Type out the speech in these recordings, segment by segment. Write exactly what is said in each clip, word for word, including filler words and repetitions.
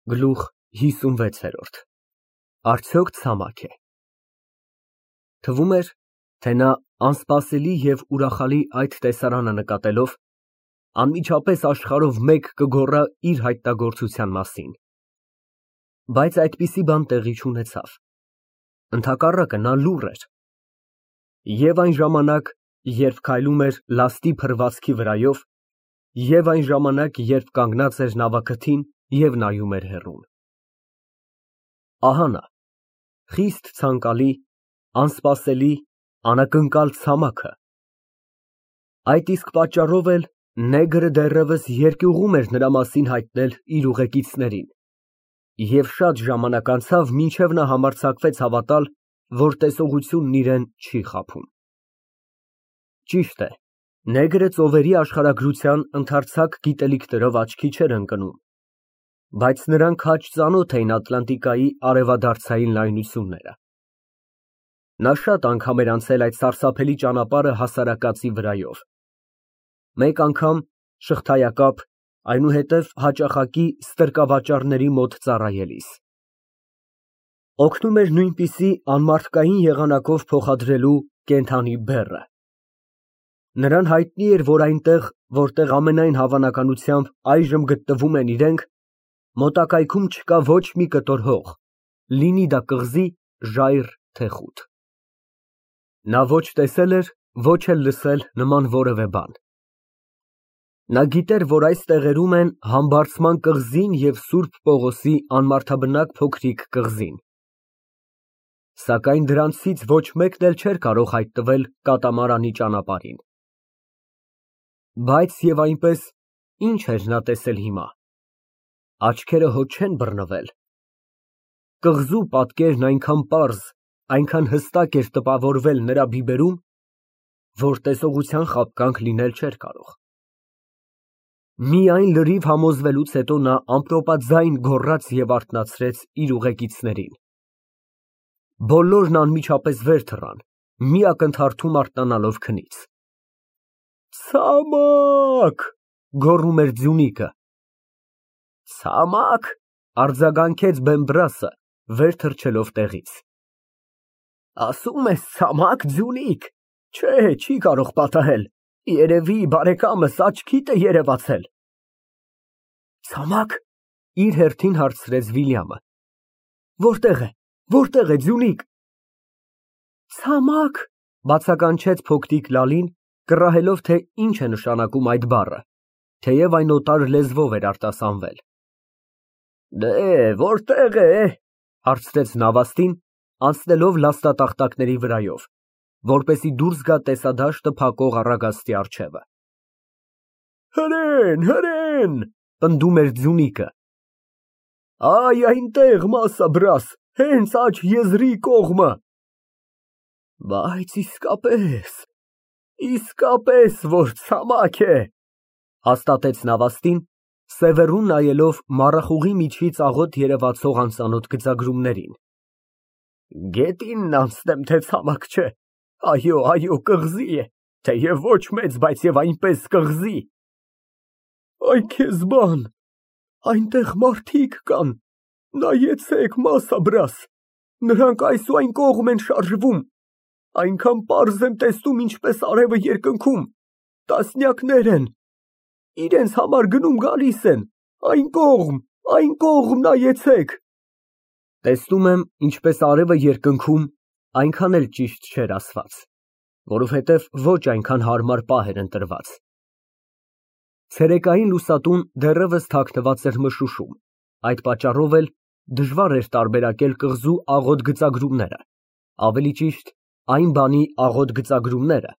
Գլուխ հիսունվեց։ Արդյոք ցամաք է։ Թվում էր, թե նա անսպասելի և ուրախալի այդ տեսարանը նկատելով, անմիջապես աշխարհով մեկ կգոռա իր հայտնագործության մասին։ Բայց այդպիսի բան տեղի չունեցավ։ Ընդհակառակը, նա լուռ էր և այն ժամանակ, երբ քայլում էր լաստի փռվածքի վրայով, և այն ժամանակ, երբ կանգնած էր նավակթին և նայում էր հեռուն։ Ահա նա, խիստ ցանկալի, անսպասելի, անակնկալ ցամաքը։ Այդ իսկ պատճառով էլ նեգրը դեռևս երկյուղում էր նրա մասին հայտնել իր ուղեկիցներին, և շատ ժամանակ անցավ, մինչև նա համարձակվեց հավատալ, որ տեսողությունն իրան չի խաբում։ Ճիշտ է, նեգրը ծովերի աշխարհագրության ընդարձակ գիտելիքներով աչքի չէր ընկնում, բայց նրան քաջ ծանոթ էին Ատլանտիկայի արևադարձային լայնությունները։ Նա շատ անգամ էր անցել այդ սարսափելի ճանապարհը հասարակածի վրայով, մեկ անգամ շղթայակապ, այնուհետև հաճախակի ստրկավաճառների մոտ ծառայելիս։ Օգնում էր նույնպիսի անմարդկային եղանակով փոխադրելու կենդանի բեռը։ Նրան հայտնի էր, որ այնտեղ, որտեղ ամենայն հավանականությամբ այժմ գտնվում են իրենք, մոտակայքում չկա ոչ մի կտոր հող, լինի դա կղզի, ժայռ, թե խուտ։ Նա ոչ տեսել էր, ոչ էլ լսել նման որևէ բան։ Նա գիտեր, որ այս տեղերում են Համբարձման կղզին և Սուրբ Պողոսի անմարդաբնակ փոքրիկ կղզին, սակայն դրանցից ոչ մեկն էլ չէր կարող հայտնվել կատամարանի ճանապարհին։ Բայց և այնպես, ի՞նչ էր նա տեսել հիմա։ Աչքերը հո չեն բռնվել։ Կղզու պատկերն այնքան պարզ, այնքան հստակ էր տպավորվել նրա բիբերում, որ տեսողության խաբկանք լինել չէր կարող։ Միայն լրիվ համոզվելուց հետո նա ամպրոպաձայն գոռաց և արթնացրեց իր ուղեկիցներին։ Բոլորն անմիջապես վեր թռան, մի ակնթարթում արթնանալով քնից։ Ցամաք, գոռում էր ձյունիկը։ Ցամաք, արձագանքեց Բեմբրասը, վեր թռչելով տեղից։ Ասում ես ցամաք, ձյունիկ, չէ, չի կարող պատահել, երևի բարեկամս աչքիդ է երևացել։ Ցամաք, իր հերթին հարցրեց Վիլյամը։ Որտե՞ղ է, որտե՞ղ է, ձյունիկ։ Ցամաք, բացականչեց փոքրիկ Լալին, կռահելով, թե ինչ է նշանակում այդ բառը, թեև այն օտար լեզվով էր արտասանվել։ Դե, որտե՞ղ է, հարցրեց նավաստին, անցնելով լաստատախտակների վրայով, որպեսզի դուրս գա տեսադաշտը փակող առագաստի առջևը։ Հրեն, հրեն, պնդում էր ձյունիկը։ Այ այնտեղ, մասաբրաս, հենց աջ եզրի կողմը։ Բայց իսկապես, իսկապես, որ ցամաք է, հաստատեց նավաստին, սևեռուն նայելով մառախուղի միջից աղոտ երևացող անծանոթ գծագրումներին։ Գետինն անցնեմ, թե ցամաք չէ, այո, այո, կղզի է, թեև ոչ մեծ, բայց և այնպես կղզի։ Այ քեզ բան, այնտեղ մարդիկ կան, նայեցեք, մասաբրաս, նրանք այս ու այն կողմ են շարժվում, այնքան պարզ եմ տեսնում, ինչպես արևը երկնքում, տասնյակներ են, իրենց համար գնում գալիս են, այն կողմ, այն կողմ նայեցեք։ Տեսնում եմ, ինչպես արևը երկնքում, այնքան էլ ճիշտ չէր ասված, որովհետև ոչ այնքան հարմար պահ էր ընտրված։ Ցերեկային լուսատուն դեռևս թաքնված էր մշուշում, այդ պատճառով էլ դժվար էր տարբերակել կղզու աղոտ գծագրումները, ավելի ճիշտ, այն բանի աղոտ գծագրումները,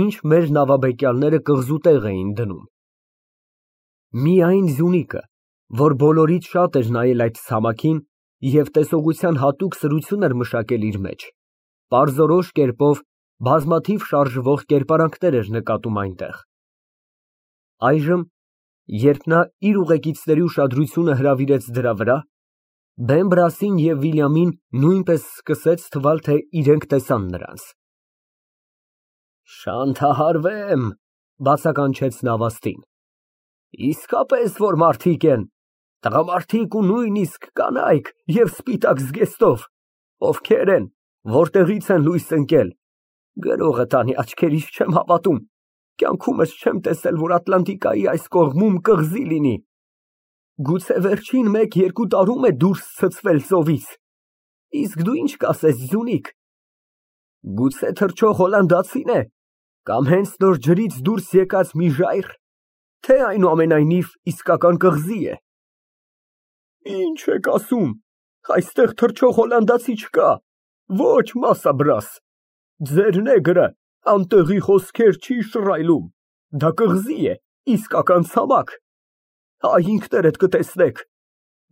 ինչ մեր նավաբեկյալները կղզու տեղ էին դնում։ Միայն ձյունիկը, որ բոլորից շատ էր նայել այդ ցամաքին և տեսողության հատուկ սրություն էր մշակել իր մեջ, պարզորոշ կերպով բազմաթիվ շարժվող կերպարանքներ էր նկատում այնտեղ։ Այժմ, երբ նա իր ուղեկիցների ուշադրությունը հրավիրեց դրա վրա, Բեմբրասին և Վիլյամին նույնպես սկսեց թվալ, թե իրենք տեսան նրանց։ Շանթահարվեմ, բացականչեց նավաստին, իսկապես որ մարդիկ են, Տղամարդիկ ու նույնիսկ կանայք և սպիտակ զգեստով, ովքեր են, որտեղից են լույս ընկել, գրողը տանի, աչքերիս չեմ հավատում, կյանքումս չեմ տեսել, որ Ատլանտիկայի այս կողմում կղզի լինի, գուցե վերջին մեկ֊երկու տարում է դուրս ցցվել ծովից, իսկ դու ինչ կասես, Ձյունիկ, գուցե թռչող հոլանդացի՞ն է, կամ հենց նոր ջրից դուրս եկած մի ժայռ, թե այնուամենայնիվ իսկական կղզի է։ Ինչ եք ասում, այստեղ թռչող հոլանդացի չկա, ոչ մասաբրաս, ձեր նեգրը անտեղի խոսքեր չի շռայլում, դա կղզի է, իսկական ցամաք, այ ինքներդ կտեսնեք,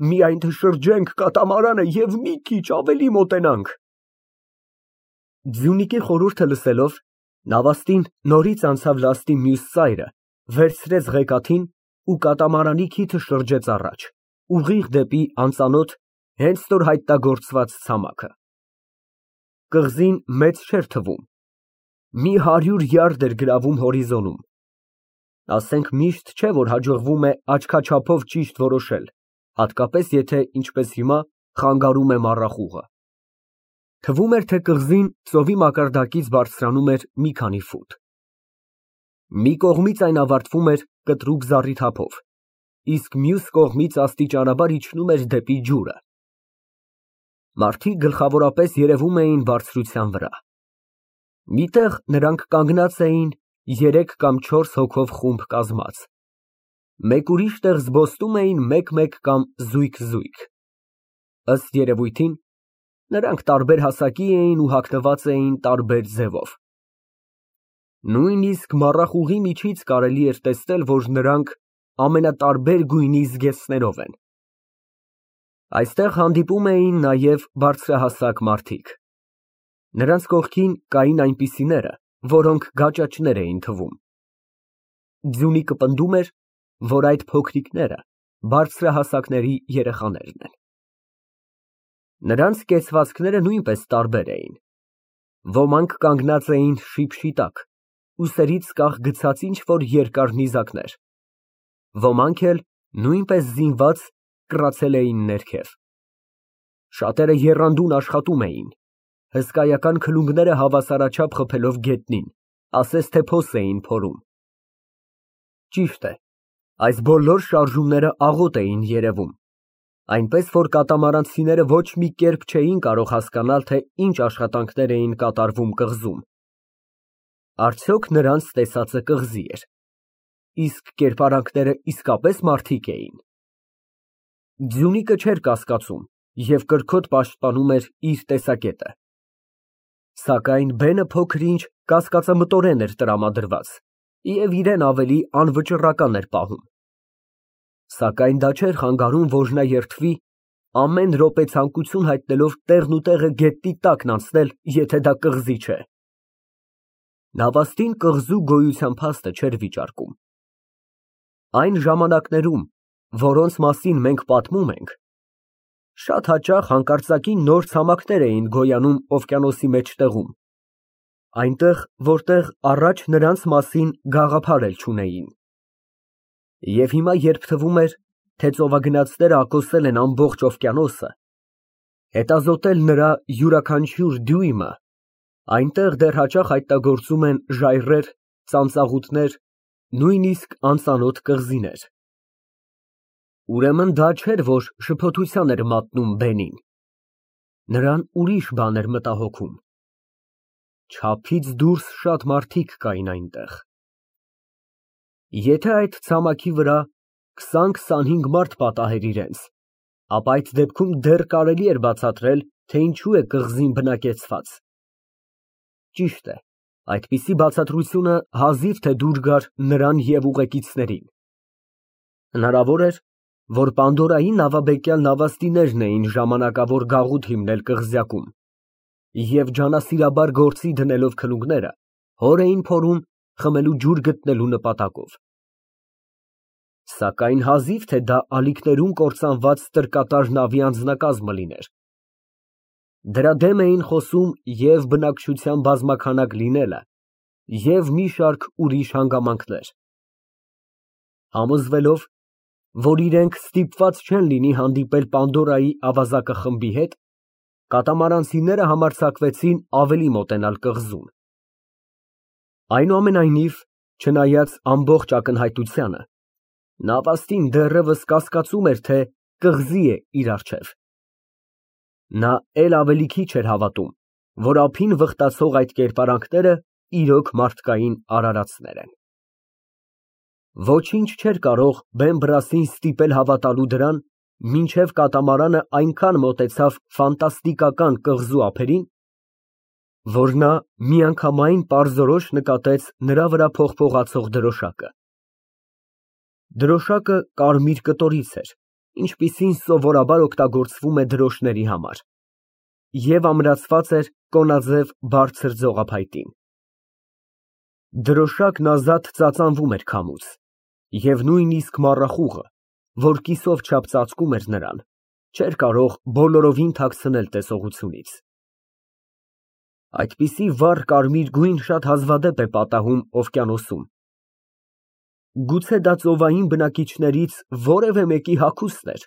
միայն թե շրջենք կատամարանը և մի քիչ ավելի մոտենանք։ Ձյունիկի խորհուրդը լսելով, նավաստին նորից անցավ լաստի մյուս ծայրը, վերցրեց ղեկաթին ու կատամարանի քիթը շրջեց առաջ, ուղիղ դեպի անծանոթ, հենց նոր հայտնագործված ցամաքը։ Կղզին մեծ չէր թվում, մի հարյուր յարդ էր գրավում հորիզոնում, ասենք միշտ չէ, որ հաջողվում է աչքաչափով ճիշտ որոշել, հատկապես եթե, ինչպես հիմա, խանգարում է մառախուղը։ Թվում էր, թե կղզին ծովի մակարդակից բարձրանում էր մի քանի ֆուտ։ Մի կողմից այն ավարտվում էր կտրուկ զառիթափով, իսկ մյուս կողմից աստիճանաբար իջնում էր դեպի ջուրը։ Մարդիկ գլխավորապես երևում էին բարձրության վրա։ Միտեղ նրանք կանգնած էին երեք կամ չորս հոգով խումբ կազմած, մեկ ուրիշ տեղ զբոսնում էին մեկ֊մեկ կամ զույգ֊զույգ։ Ըստ երևույթին, նրանք տարբեր հասակի էին ու հագնված էին տարբեր ձևով։ Նույնիսկ մառախուղի միջից կարելի էր տեսնել, որ նրանք ամենատարբեր գույնի զգեստներով են։ Այստեղ հանդիպում էին նաև բարձրահասակ մարդիկ։ Նրանց կողքին կային այնպիսիները, որոնք գաճաճներ էին թվում։ Ձյունիկը պնդում էր, որ այդ փոքրիկները բարձրահասակների երեխաներն են։ Նրանց կեցվածքները նույնպես տարբեր էին։ Ոմանք կանգնած էին շիպշիտակ, ուսերից կախ գցած ինչ֊որ երկար նիզակներ, ոմանք էլ նույնպես զինված կռացել էին ներքև։ Շատերը եռանդուն աշխատում էին, հսկայական քլունգները հավասարաչափ խփելով գետնին, ասես թե փոս էին փորում։ Ճիշտ է, այս բոլոր շարժումները աղոտ էին երևում, այնպես որ կատամարանցիները ոչ մի կերպ չէին կարող հասկանալ, թե ինչ աշխատանքներ էին կատարվում կղզում։ Արդյոք նրանց տեսածը կղզի էր, իսկ կերպարանքները իսկապես մարդիկ էին։ Ձյունիկը չէր կասկածում և կրքոտ պաշտպանում էր իր տեսակետը։ Սակայն բենը փոքր-ինչ կասկածամտորեն էր տրամադրված և իրան ավելի անվճռական էր պահում։ Սակայն դա չէր խանգարում, որ նա երդվի, ամեն րոպե ցանկություն հայտնելով տեղն ու տեղը գետնի տակն անցնել, եթե դա կղզի չէ։ Նավաստին կղզու գոյության փաստը չէր վիճարկում։ Այն ժամանակներում, որոնց մասին մենք պատմում ենք, շատ հաճախ հանկարծակի նոր ցամաքներ էին գոյանում օվկիանոսի մեջտեղում, այնտեղ, որտեղ առաջ նրանց մասին գաղափար էլ չունեին։ Եվ հիմա, երբ թվում էր, թե ծովագնացները ակոսել են ամբողջ օվկիանոսը, հետազոտել նրա յուրաքանչյուր դյույմը, այնտեղ դեռ հաճախ հայտնագործում են ժայռեր, ծանծաղուտներ, նույնիսկ անծանոթ կղզիներ։ Ուրեմն դա չէր, որ շփոթության էր մատնում բենին, նրան ուրիշ բան էր մտահոգում։ Չափից դուրս շատ մարդիկ կային այնտեղ։ Եթե այդ ցամաքի վրա քսան֊քսանհինգ մարդ պատահեր իրենց, ապա այդ դեպքում դեռ կարելի էր բացատրել, թե ինչու է կղզին բնակեցված։ Ճիշտ է, այդպիսի բացատրությունը հազիվ թե դուր գար նրան և ուղեկիցներին։ Հնարավոր էր, որ Պանդորայի նավաբեկյալ նավաստիներն էին ժամանակավոր գաղութ հիմնել կղզյակում և ջանասիրաբար գործի դնելով քլունգները, հոր էին փորում խմելու ջուր գտնելու նպատակով։ Սակայն հազիվ թե դա ալիքներում կործանված տրկատար նավի անձնակազմը լիներ։ Դրա դեմ էին խոսում և բնակչության բազմաքանակ լինելը, և մի շարք ուրիշ հանգամանքներ։ Համոզվելով, որ իրենք ստիպված չեն լինի հանդիպել Պանդորայի ավազակը խմբի հետ, կատամարանցիները համարձակվեցին ավելի մոտենալ կղզուն։ Այնուամենայնիվ, չնայած ամբողջ ակնհայտությանը, նավաստին դեռևս կասկածում էր, թե կղզի է իր առջև։ Նա էլ ավելի քիչ էր հավատում, որ ափին վխտացող այդ կերպարանքները իրոք մարդկային արարածներ են։ Ոչինչ չէր կարող Բեմբրասին ստիպել հավատալու դրան, մինչև կատամարանը այնքան մոտեցավ ֆանտաստիկական կղզու ափերին, որ նա միանգամայն պարզորոշ նկատեց նրա վրա փողփողացող դրոշակը։ Դրոշակը կարմիր կտորից էր, ինչպիսին սովորաբար օգտագործվում է դրոշների համար, և ամրացված էր կոնաձև բարձր ձողափայտին։ Դրոշակն ազատ ծածանվում էր քամուց, և նույնիսկ մառախուղը, որ կիսով չափ ծածկում էր նրան, չէր կարող բոլորովին թաքցնել տեսողությունից։ Այդպիսի վառ կարմիր գույն շատ հազվադեպ է պատահում օվկիանոսում։ Գուցե դա ծովային բնակիչներից որևէ մեկի հագուստն էր,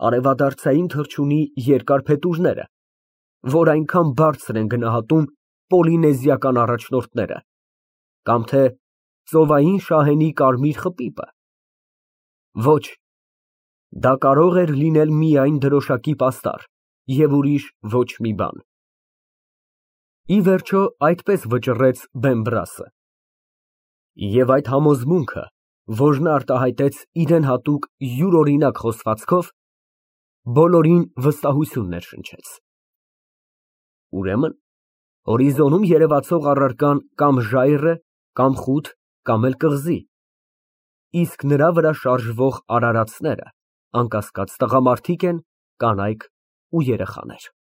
արևադարձային թռչունի երկար փետուրները, որ այնքան բարձր են գնահատում պոլինեզիական առաջնորդները, կամ թե ծովային շահենի կարմիր խպիպը։ Ոչ, դա կարող էր լինել միայն դրոշակի պաստառ և ուրիշ ոչ մի բան։ Ի վերջո, այդպես վճռեց Բեմբրասը։ Եվ այդ համոզմունքը, որ նա արտահայտեց իրան հատուկ յուրօրինակ խոսվածքով, բոլորին վստահություն ներշնչեց։ Ուրեմն, հորիզոնում երևացող առարկան կամ ժայռ է, կամ խուտ, կամ էլ կղզի, իսկ նրա վրա շարժվող արարածները, անկասկած, տղամարդիկ են, կանայք ու երեխաներ։